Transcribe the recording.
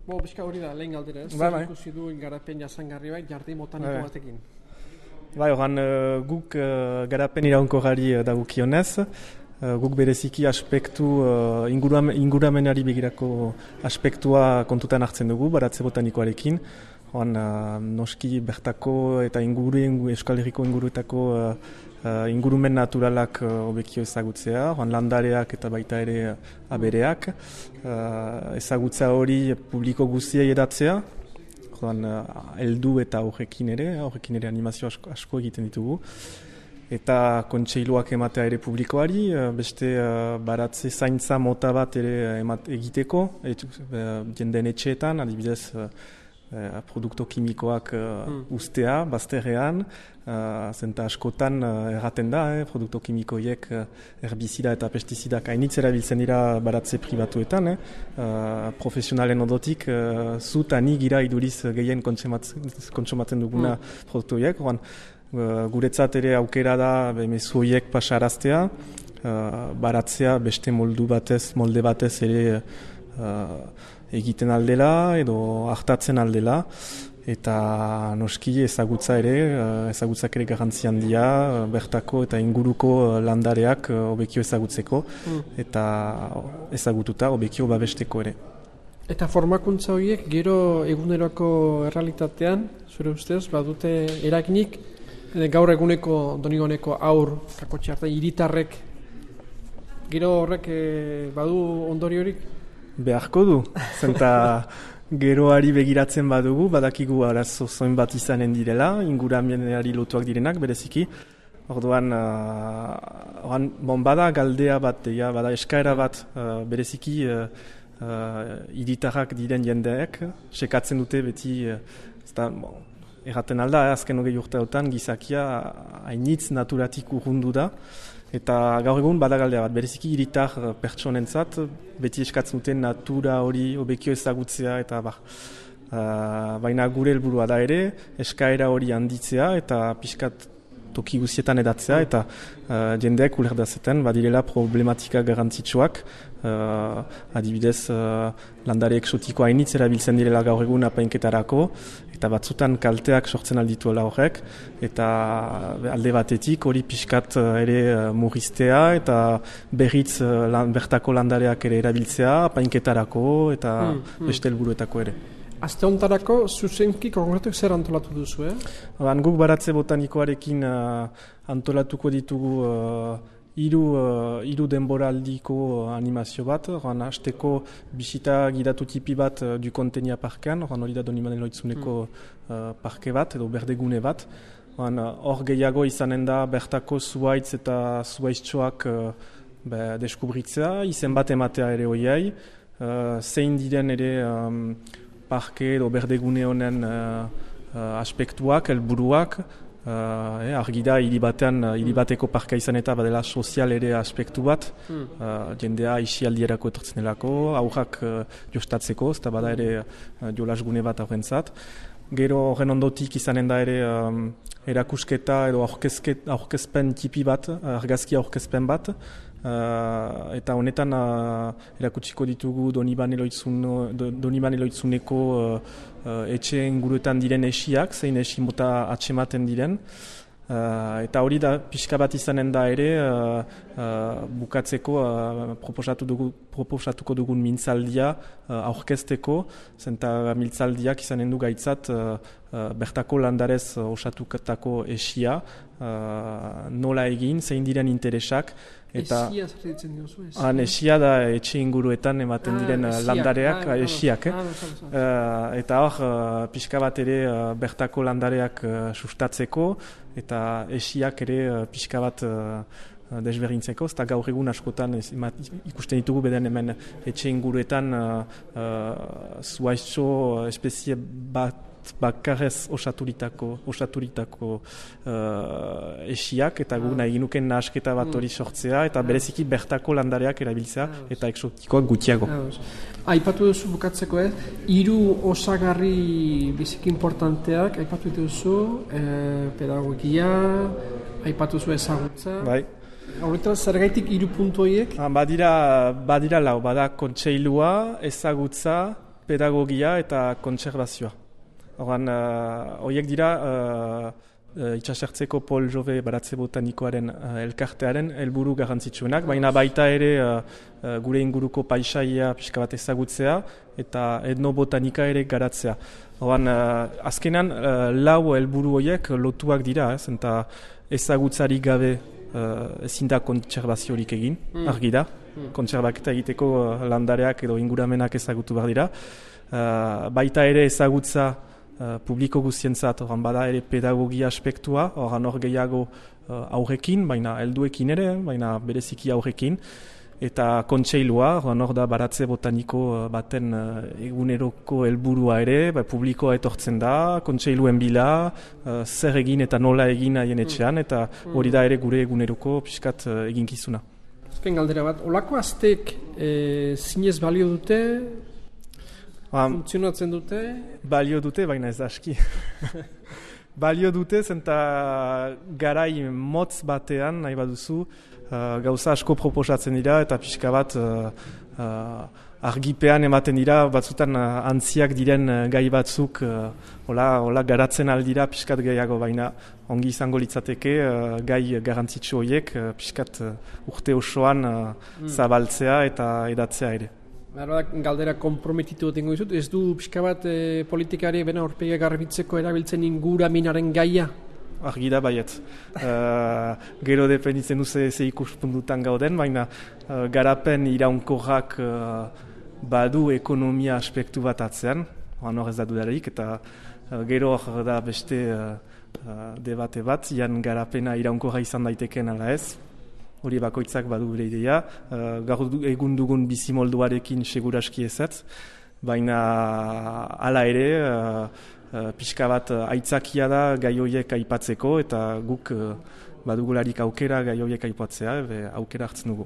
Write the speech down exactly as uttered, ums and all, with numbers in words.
Bo, bizka hori da, lehen galdera, ez? Bai, bai. Ikusi du garapen jasangarri bat, jardin botaniko Bai. batekin. Bai, oran, uh, guk uh, garapen iraunkorrari uh, dagokionez, uh, guk bereziki aspektu, uh, inguram, inguramenari begirako aspektua kontutan hartzen dugu, baratze botanikoarekin. Oran, uh, noski bertako eta inguru, Euskal Herriko inguruetako uh, uh, ingurumen naturalak hobekio uh, ezagutzea, oran, landareak eta baita ere uh, abereak. Uh, ezagutza hori publiko guztiei edatzea, joan, heldu eta horrekin ere, horrekin ere animazio asko, asko egiten ditugu. Eta kontseiluak ematea ere publikoari, beste uh, baratze zaintza mota bat ere emat, egiteko, et, uh, jendeen etxeetan, adibidez, uh, uh, produkto kimikoak uh, mm. ustea, bazterrean, uh, zenta askotan uh, erraten da, eh, produkto kimikoiek uh, herbizida eta pestizidak hainitz erabiltzen dira baratze pribatuetan, eh. uh, profesionalen ondotik, uh, zut ani gira iduriz gehien kontsumatzen duguna mm. produktu horiek, uh, guretzat ere aukera da mezu horiek pasaraztea, uh, baratzea beste moldu batez, molde batez ere uh, egiten aldela edo hartatzen aldela, eta noski ezagutza ere, ezagutzak ere garrantzi handia, bertako eta inguruko landareak hobekio ezagutzeko, mm. eta ezagututa hobekio babesteko ere. Eta formakuntza horiek gero eguneroko errealitatean, zure ustez, badute eraginik, gaur eguneko donigoneko aur, kakotxe hartan, hiritarrek, gero horrek eh, badu ondoriorik? Beharko du, zenta geroari begiratzen badugu, badakigu arazo zoin bat izanen direla, inguramenari lotuak direnak, bereziki. Orduan, uh, oran, bon, bada galdea bat, ja, bada eskaera bat, uh, bereziki uh, uh, hiritarrak diren jendeek, sekatzen dute beti, uh, zta, bon, erraten alda, eh, azken hogei urteotan gizakia hainitz naturatik urrundu da, eta gaur egun badagaldea bat, bereziki hiritar pertsonentzat, beti eskatzen duten natura hori hobekio ezagutzea, eta bar, uh, baina gure helburua da ere, eskaera hori handitzea, eta pixkat toki guztietan edatzea, eta uh, jendeek ulerdazetan badirela problematika garrantzitsuak, uh, adibidez uh, landare eksotiko hainitz erabiltzen direla gaur egun apainketarako, eta batzutan kalteak sortzen aldituela horrek, eta alde batetik hori pixkat ere murriztea, eta berriz lan, bertako landareak ere erabiltzea, apainketarako, eta mm, mm. beste helburuetako ere. Aste hontarako zuzenki konkretuak zer antolatu duzu, eh? Ban, guk baratze botanikoarekin uh, antolatuko ditugu uh, hiru uh, hiru denboraldiko animazio bat, oran hasteko bisita gidatu tipi bat uh, du Kontenia parkean, oran hori da Donibanen loitzuneko uh, parke bat, edo berdegune bat. Hor uh, gehiago izanen da bertako zuaitz eta zuaitztxoak uh, be, deskubritzea, izen bat ematea ere hoiai, uh, zein diren ere um, parke edo berdegune honen uh, uh, aspektuak, helburuak, uh, eh, argi da hiri batean, hiri bateko parka izan eta badela sozial ere aspektu bat, mm. uh, jendea isialdierako etortzen delako, aurrak uh, jostatzeko, eta bada ere uh, jolasgune bat aurrentzat. Gero horren ondotik izanen da ere um, erakusketa edo aurkezpen tipi bat, argazki aurkezpen bat, Uh, eta honetan uh, erakutsiko ditugu Donibane Loitzuneko uh, uh, etxe inguruetan diren esiak, zein esi mota atsematen diren. Uh, eta hori da pixka bat izanen da ere uh, uh, bukatzeko uh, proposatu dugu, proposatuko dugun mintzaldia uh, aurkezteko, zenta mintzaldiak izanen du gaitzat uh, uh, bertako landarez uh, osatukatako esia, uh, nola egin, zein diren interesak. Eta esia zertzen diozu? Han esia da etxe inguruetan ematen diren ah, landareak, ah, esiak. Eh? Ah, uh, eta hor, uh, pixka bat ere uh, bertako landareak uh, sustatzeko, eta esiak ere uh, pixka bat uh, desberdintzeko, eta gaur egun askotan ez, ikusten ditugu beden hemen etxe inguruetan uh, uh, zuaitxo espezie bat bakarrez osaturitako, osaturitako uh, esiak, eta gu nahi ginuken nahasketa bat hori sortzea, eta bereziki bertako landareak erabiltzea, eta eksotikoak gutxiago. Aipatu duzu bukatzeko ez, hiru osagarri biziki importanteak, aipatu duzu eh, pedagogia, aipatu duzu ezagutza. Bai. Horretan, zergaitik hiru puntu horiek? Badira, badira lau, bada kontseilua, ezagutza, pedagogia eta kontserbazioa. Horan, horiek dira uh, uh, itxasertzeko Pol Jove baratze botanikoaren uh, elkartearen helburu garrantzitsuenak, baina baita ere uh, uh, gure inguruko paisaia pixka bat ezagutzea eta etnobotanika ere garatzea. Horan, uh, azkenan uh, lau helburu horiek lotuak dira, ez, eta ezagutzarik gabe uh, ezin da kontserbaziorik egin, mm. argi da. Mm. Kontserbaketa egiteko uh, landareak edo inguramenak ezagutu behar dira. Uh, baita ere ezagutza Uh, publiko guztientzat, horan bada ere pedagogia aspektua, horan hor gehiago uh, aurrekin, baina helduekin ere, baina bereziki aurrekin, eta kontseilua, horan hor da baratze botaniko uh, baten uh, eguneroko helburua ere, ba, publikoa etortzen da, kontseiluen bila, uh, zer egin eta nola egin haien etxean, eta hori da ere gure eguneroko pixkat uh, eginkizuna. Azken galdera bat, olako aztek e, zinez balio dute? Funtzionatzen dute? Balio dute, baina ez da aski. Balio dute, zenta garai motz batean, nahi baduzu, uh, gauza asko proposatzen dira, eta pixka bat uh, uh, argipean ematen dira, batzutan uh, antziak diren uh, gai batzuk, uh, hola, hola garatzen aldira pixkat gehiago, baina ongi izango litzateke uh, gai garrantzitsu horiek, uh, pixkat uh, urte osoan uh, mm. zabaltzea eta edatzea ere. Galdera komprometitu dengo dizut, ez du pixka bat e, politikari bena horpegia garbitzeko erabiltzen inguraminaren gaia? Argi da baiet. uh, gero dependitzen duze ze ikuspuntutan gauden, baina uh, garapen iraunkorrak uh, badu ekonomia aspektu bat atzean, hor ez da dudarik, eta uh, gero hor da beste uh, uh, debate bat, jan garapena iraunkorra izan daiteken ala ez. Hori bakoitzak badu bere ideia, uh, gaur egun dugun bizimolduarekin seguraski ezat, baina hala ere uh, uh, pixka bat uh, aitzakia da gai horiek aipatzeko, eta guk uh, badugularik aukera gai horiek aipatzea, aukera hartzen dugu.